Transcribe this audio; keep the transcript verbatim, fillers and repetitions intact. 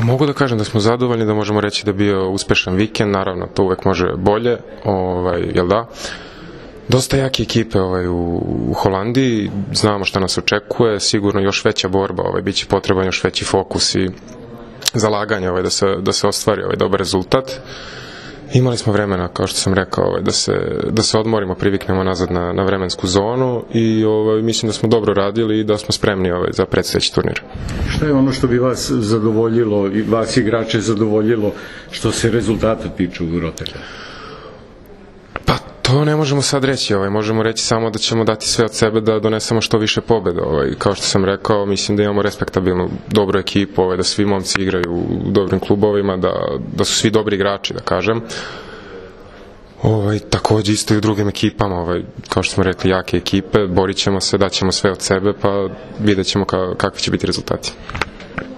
mogu da kažem da smo zadovoljni, da možemo reći da je bio uspešan vikend, naravno to uvek može bolje, ovaj, jel da? Dosta jake ekipe ovaj, u, u Holandiji, znamo šta nas očekuje, sigurno još veća borba, ovaj, bit će potreban još veći fokus i zalaganje ovaj, da, se, da se ostvari ovaj, dobar rezultat. Imali smo vremena, kao što sam rekao, ovaj, da, se, da se odmorimo, priviknemo nazad na, na vremensku zonu i ovaj, mislim da smo dobro radili i da smo spremni ovaj, za predstojeći turnir. Šta je ono što bi vas zadovoljilo i vas igrače zadovoljilo što se rezultata tiču u Rotterdamu? Pa to ne možemo sad reći, ovaj, možemo reći samo da ćemo dati sve od sebe da donesemo što više pobjeda. Ovaj. Kao što sam rekao, mislim da imamo respektabilnu, dobru ekipu, ovaj, da svi momci igraju u dobrim klubovima, da, da su svi dobri igrači, da kažem. Ovaj, takođe isto i u drugim ekipama, ovaj, kao što smo rekli, jake ekipe, borit ćemo se, daćemo sve od sebe, pa vidjet ćemo ka, kakvi će biti rezultati.